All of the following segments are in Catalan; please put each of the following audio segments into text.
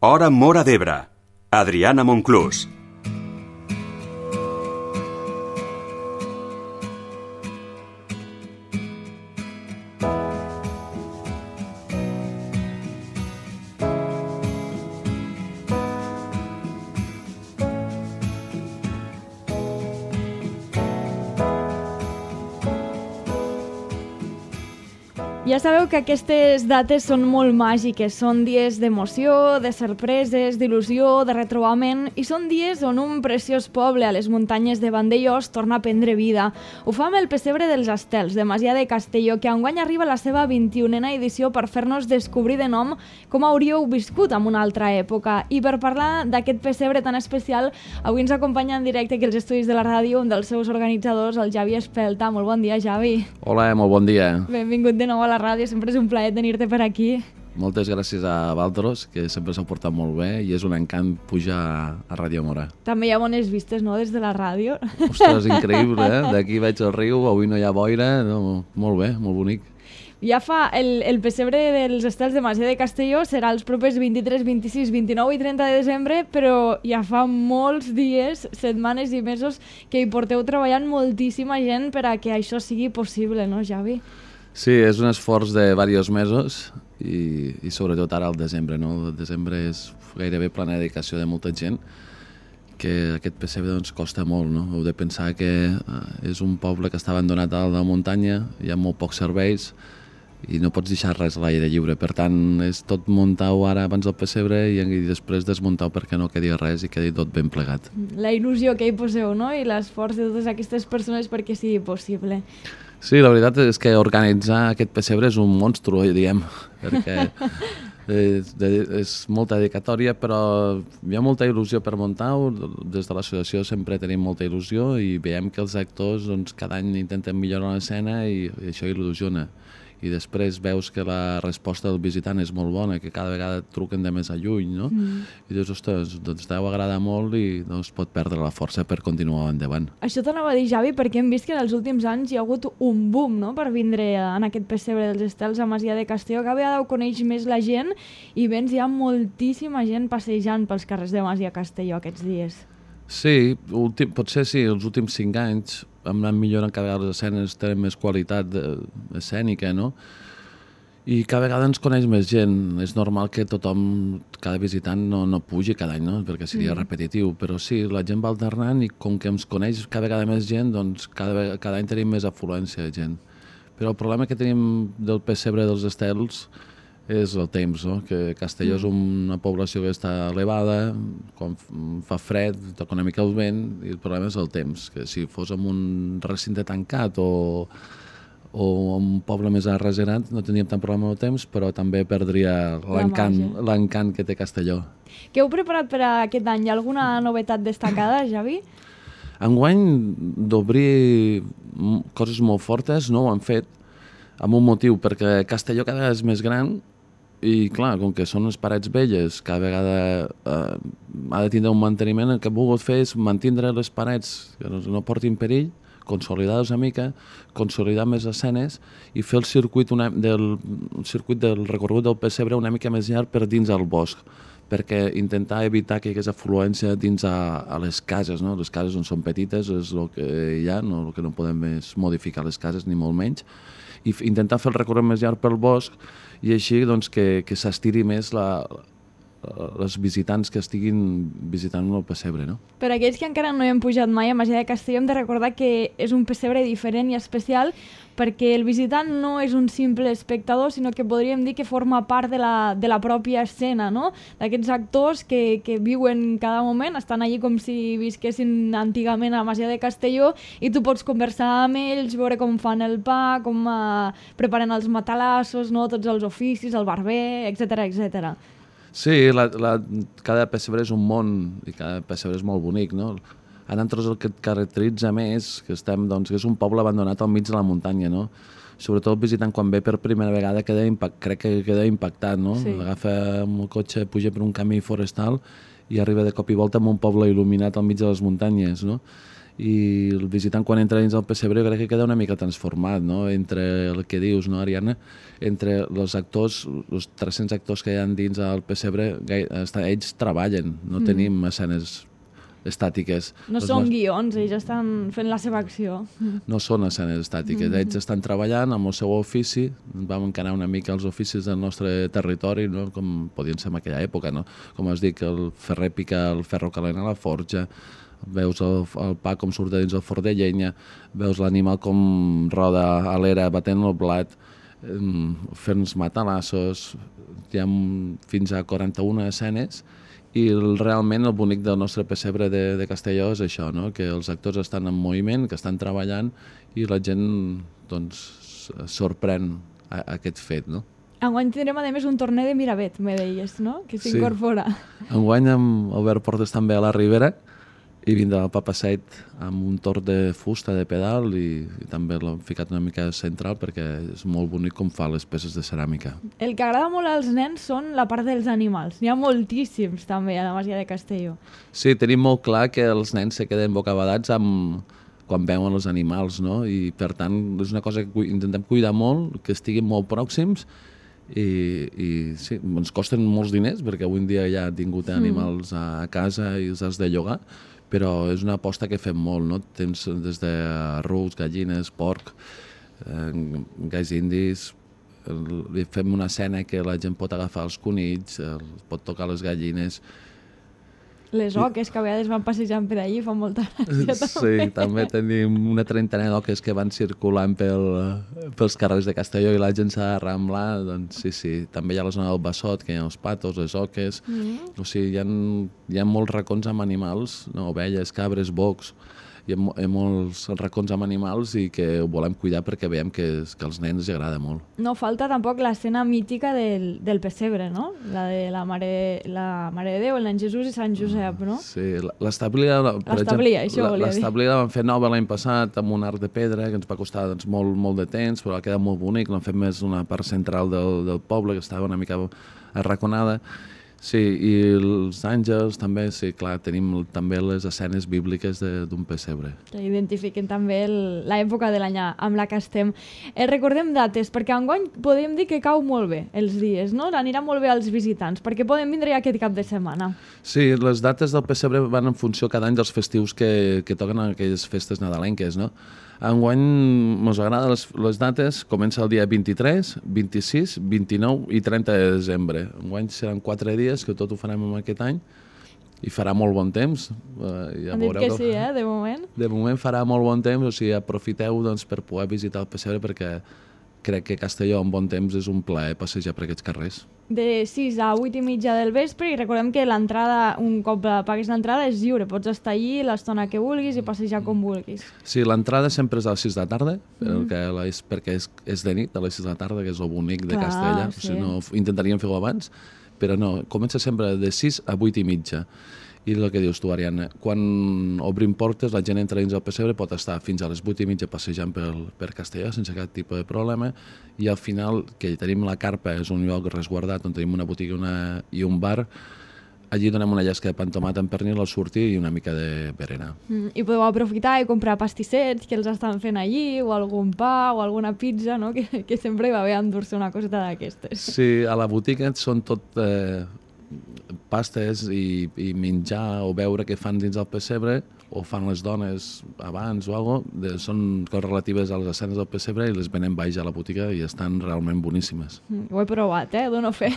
Hora Móra d'Ebre. Adriana Monclús. Ja sabeu que aquestes dates són molt màgiques, són dies d'emoció, de sorpreses, d'il·lusió, de retrobament, i són dies on un preciós poble a les muntanyes de Vandellòs torna a prendre vida. Ho fa amb el Pessebre dels Estels, de Masia de Castelló, que enguany arriba a la seva 21a edició per fer-nos descobrir de nom com hauríeu viscut en una altra època. I per parlar d'aquest pessebre tan especial, avui ens acompanya en directe aquí als estudis de la ràdio un dels seus organitzadors, el Javi Espelta. Molt bon dia, Javi. Hola, molt bon dia. Benvingut de nou a la ràdio, sempre és un plaer tenir-te per aquí. Moltes gràcies a Valtros, que sempre s'ha portat molt bé i és un encant pujar a Ràdio Móra. També hi ha bones vistes, no?, des de la ràdio. Ostres, increïble, eh? D'aquí veig el riu, avui no hi ha boira, no, molt bé, molt bonic. Ja fa el pessebre dels Estels de Masia de Castelló serà els propers 23, 26, 29 i 30 de desembre, però ja fa molts dies, setmanes i mesos que hi porteu treballant moltíssima gent per a que això sigui possible, no, Javi? Sí, és un esforç de diversos mesos i sobretot ara al desembre, no? El desembre és gairebé plena dedicació de molta gent, que aquest pessebre doncs, costa molt, no? Heu de pensar que és un poble que està abandonat a la muntanya, hi ha molt pocs serveis i no pots deixar res a l'aire lliure. Per tant, és tot muntar-ho ara abans del pessebre i després desmuntar-ho perquè no quedi res i quedi tot ben plegat. La il·lusió que hi poseu, no? I l'esforç de totes aquestes persones perquè sigui possible. Sí, la veritat és que organitzar aquest pessebre és un monstru, diguem, perquè és molta dedicatòria, però hi ha molta il·lusió per muntar-ho. Des de l'associació sempre tenim molta il·lusió i veiem que els actors doncs, cada any intenten millorar l'escena i això il·lusiona. I després veus que la resposta del visitant és molt bona, que cada vegada truquen de més a lluny, no? I dius, ostres, doncs deu agradar molt i no es pot perdre la força per continuar endavant. Això t'anava a dir, Javi, perquè hem vist que en els últims anys hi ha hagut un boom, no?, per vindre en aquest pessebre dels Estels a Masia de Castelló. Cada vegada ho coneix més la gent i vens, hi ha moltíssima gent passejant pels carrers de Masia Castelló aquests dies. Sí, potser sí, els últims 5 anys hem anat millorant, cada vegada les escenes tenen més qualitat escènica, no? I cada vegada ens coneix més gent. És normal que tothom, cada visitant no pugi cada any, no? Perquè seria repetitiu, però sí, la gent va alternant i com que ens coneix cada vegada més gent, doncs cada any tenim més afluència de gent. Però el problema que tenim del pessebre dels Estels és el temps, no? Que Castelló és una població que està elevada, quan fa fred, toca una mica el vent, i el problema és el temps, que si fos en un recinte tancat o un poble més arreserat no tindríem tant problema amb el temps, però també perdria l'encant que té Castelló. Què heu preparat per a aquest any? Hi ha alguna novetat destacada, Javi? Enguany d'obrir coses molt fortes no ho han fet, amb un motiu, perquè Castelló cada vegada és més gran i clar, com que són les parets velles, cada vegada ha de tindre un manteniment. El que hem volgut fer és mantindre les parets que no portin perill, consolidar-les una mica, consolidar més escenes i fer el circuit del recorregut del pessebre una mica més llarg per dins del bosc, perquè intentar evitar que hi hagués afluència dins a les cases, no? Les cases on són petites és el que hi ha, el que no podem és modificar les cases ni molt menys, i intentar fer el recorregut més llarg pel bosc i així doncs, que s'estiri més els visitants que estiguin visitant el pessebre, no? Per aquells que encara no hi han pujat mai a Masia de Castelló, hem de recordar que és un pessebre diferent i especial perquè el visitant no és un simple espectador, sinó que podríem dir que forma part de la pròpia escena, no? D'aquests actors que viuen cada moment, estan allí com si visquessin antigament a Masia de Castelló i tu pots conversar amb ells, veure com fan el pa, com preparen els matalassos, no? Tots els oficis, el barber, etc. Sí, cada pessebre és un món i cada pessebre és molt bonic, no? A nosaltres el que et caracteritza més que estem, doncs, que és un poble abandonat al mig de la muntanya, no? sobretot el visitant quan ve per primera vegada crec que queda impactat, no? Sí. Agafa amb el cotxe, puja per un camí forestal i arriba de cop i volta a un poble il·luminat al mig de les muntanyes, no? I el visitant quan entra dins el pessebre crec que queda una mica transformat, no? Entre el que dius, no, Ariadna? Entre els actors, els 300 actors que hi ha dins el pessebre, ells treballen, no tenim escenes estàtiques. No són guions, ells estan fent la seva acció. No són escenes estàtiques, ells estan treballant amb el seu ofici, vam encarar una mica els oficis del nostre territori, no? Com podien ser en aquella època, no? Com es dic, el ferrer pica el ferro calent a la forja, veus el pa com surt de dins el forn de llenya, veus l'animal com roda a l'era batent el blat, fent els matalassos, hi ha fins a 41 escenes, i realment el bonic del nostre pessebre de Castelló és això, no? Que els actors estan en moviment, que estan treballant i la gent doncs, sorprèn aquest fet, no? Enguany tindrem a més un torner de Miravet, me deies, no? Que s'incorpora. Sí. Enguany amb Albert Portes també a la Ribera i vindrà el Papa Set amb un torn de fusta de pedal i també l'hem ficat una mica central perquè és molt bonic com fa les peces de ceràmica. El que agrada molt als nens són la part dels animals. N'hi ha moltíssims també a la Masia de Castelló. Sí, tenim molt clar que els nens se queden bocabadats quan veuen els animals, no? I per tant és una cosa que intentem cuidar molt, que estiguin molt pròxims i sí, ens costen molts diners perquè avui en dia ja han tingut animals a casa i els has de llogar, però és una aposta que fem molt, no? Tens des de rucs, gallines, porc, gais indis, fem una escena que la gent pot agafar els conills, pot tocar les gallines. Les oques que a vegades van passejant per allí fan molta gràcia també. Sí, també tenim una trentena d'oques que van circulant pels carrers de Castelló i la gent s'ha d'arramblar, doncs sí, també hi ha la zona del Bassot, que hi ha els patos, les oques, o sigui, hi ha molts racons amb animals, no? Ovelles, cabres, bocs, hi ha molts racons amb animals i que ho volem cuidar perquè veiem que als nens els agrada molt. No falta tampoc l'escena mítica del pessebre, no? La de la Mare de Déu, el nen Jesús i Sant Josep, no? Sí, l'establia, això volia dir. L'establia la vam fer nova l'any passat amb un arc de pedra que ens va costar doncs, molt de temps, però ha quedat molt bonic, l'hem fet més una part central del poble que estava una mica arraconada. Sí, i els àngels també, sí, clar, tenim també les escenes bíbliques d'un pessebre. Que identifiquen també l'època de l'any amb la que estem. Recordem dates, perquè enguany podem dir que cau molt bé els dies, no? Anirà molt bé als visitants, perquè poden vindre ja aquest cap de setmana. Sí, les dates del pessebre van en funció cada any dels festius que toquen en aquelles festes nadalenques, no? Enguany ens agraden les dates, comença el dia 23, 26, 29 i 30 de desembre. Enguany seran 4 dies que tot ho farem en aquest any i farà molt bon temps. Han dit que sí, de moment. De moment farà molt bon temps, o sigui, aprofiteu doncs, per poder visitar el pessebre perquè crec que Castelló en bon temps és un plaer passejar per aquests carrers. De 6 a 8 i mitja del vespre i recordem que l'entrada, un cop paguis l'entrada, és lliure. Pots estar allí l'estona que vulguis i passejar com vulguis. Sí, l'entrada sempre és a les 6 de la tarda, perquè és de nit, a les 6 de la tarda, que és el bonic de Castella. Sí. O sigui, no, intentaríem fer-ho abans, però no, comença sempre de 6 a 8 i mitja. I el que dius tu, Ariadna, quan obrim portes, la gent entra dins el pessebre, pot estar fins a les 8 i mitja passejant per Castelló sense cap tipus de problema, i al final, que tenim la carpa, és un lloc resguardat on tenim una botiga i un bar, allí donem una llesca de pa amb tomat amb pernil al sortir i una mica de berenar. I podeu aprofitar i comprar pastissets que els estan fent allí, o algun pa, o alguna pizza, no? Que sempre va bé endur-se una coseta d'aquestes. Sí, a la botiga són tot pastes i menjar o beure que fan dins el pessebre o fan les dones abans o alguna cosa, són coses relatives a les escenes del pessebre i les venen baix a la botiga i estan realment boníssimes. Ho he provat, dono fe.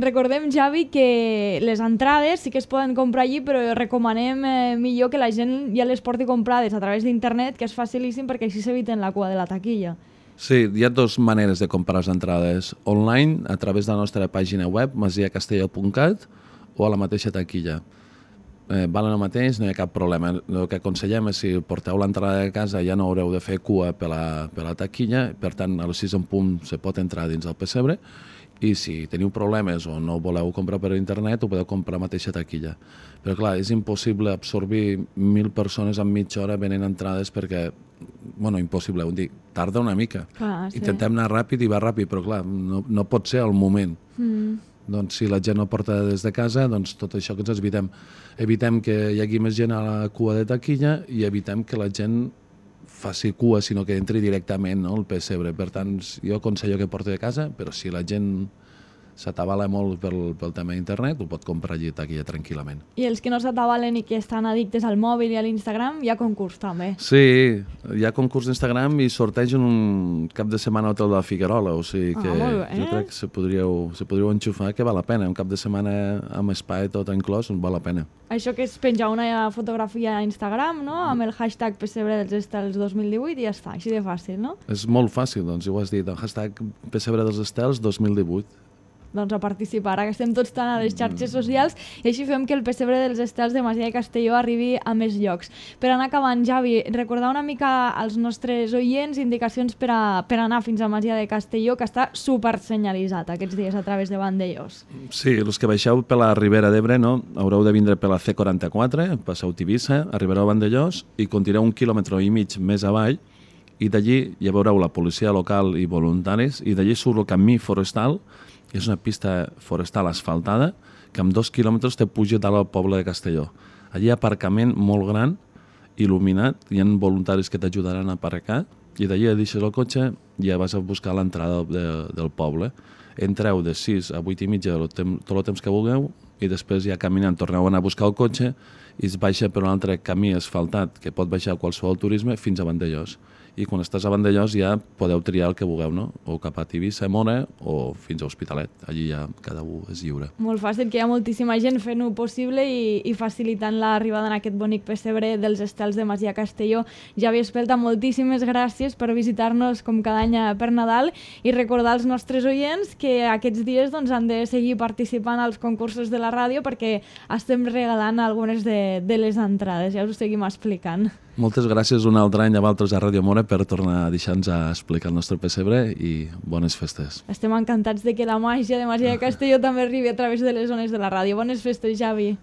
Recordem, Javi, que les entrades sí que es poden comprar allí, però recomanem millor que la gent ja les porti comprades a través d'internet, que és facilíssim perquè així s'eviten la cua de la taquilla. Sí, hi ha dues maneres de comprar les entrades. Online, a través de la nostra pàgina web, masiacastelló.cat, o a la mateixa taquilla. Valen el mateix, no hi ha cap problema. El que aconsellem és si porteu l'entrada de casa ja no haureu de fer cua per la taquilla, per tant a les 6 en punt se pot entrar dins el pessebre, i si teniu problemes o no voleu comprar per internet ho podeu comprar a la mateixa taquilla. Però clar, és impossible absorbir 1.000 persones en mitja hora venent entrades perquè impossible, dic, tarda una mica. Clar, sí. Intentem anar ràpid i va ràpid, però clar, no pot ser al moment. Doncs si la gent no porta des de casa, doncs tot això que ens evitem. Evitem que hi hagi més gent a la cua de taquilla i evitem que la gent faci cua, sinó que entri directament, no, al pessebre. Per tant, jo aconsello que porti de casa, però si la gent s'atabala molt pel tema d'internet, ho pot comprar allí a taquilla tranquil·lament. I els que no s'atabalen i que estan addictes al mòbil i a l'Instagram, hi ha concurs també. Sí, hi ha concurs d'Instagram i sorteig en un cap de setmana a Hotel de la Figuerola, o sigui que jo crec que se podríeu enxufar, que val la pena. Un cap de setmana amb espai tot inclòs, val la pena. Això que és penjar una fotografia a Instagram, no?, amb el hashtag Pessebre dels Estels 2018 i ja està, així de fàcil, no? És molt fàcil, doncs, ja ho has dit, el hashtag Pessebre dels Estels 2018. Doncs a participar, ara que estem tots tan a les xarxes socials, i així fem que el Pessebre dels Estels de Masia de Castelló arribi a més llocs. Per anar acabant, Javi, recordar una mica als nostres oients indicacions per anar fins a Masia de Castelló, que està supersenyalitzat aquests dies a través de Vandellós. Sí, els que baixeu per la Ribera d'Ebre, no? Haureu de vindre per la C44, passeu Tivissa, arribareu a Vandellós i continueu 1,5 quilòmetres més avall, i d'allí ja veureu la policia local i voluntaris, i d'allí surt el camí forestal. És una pista forestal asfaltada que amb 2 quilòmetres te puja dalt al poble de Castelló. Allí hi ha aparcament molt gran, il·luminat, hi ha voluntaris que t'ajudaran a aparcar i d'allí deixes el cotxe i ja vas a buscar l'entrada del poble. Entreu de 6 a 8 i mitja tot el temps que vulgueu i després ja caminant torneu a anar a buscar el cotxe i es baixa per un altre camí asfaltat que pot baixar qualsevol turisme fins a Vandellós. I quan estàs a Vandellós ja podeu triar el que vulgueu, no? O cap a Tivissa, Móra, o fins a Hospitalet. Allí ja cada un és lliure. Molt fàcil, que hi ha moltíssima gent fent-ho possible i facilitant l'arribada en aquest bonic pessebre dels Estels de Masia Castelló. Javi Espelta, moltíssimes gràcies per visitar-nos com cada any per Nadal i recordar als nostres oients que aquests dies doncs, han de seguir participant als concursos de la ràdio perquè estem regalant algunes de les entrades. Ja us ho seguim explicant. Moltes gràcies un altre any a vosaltres a Ràdio Móra per tornar a deixar-nos a explicar el nostre pessebre i bones festes. Estem encantats de que la màgia de Masia de Castelló també arribi a través de les zones de la ràdio. Bones festes, Javi.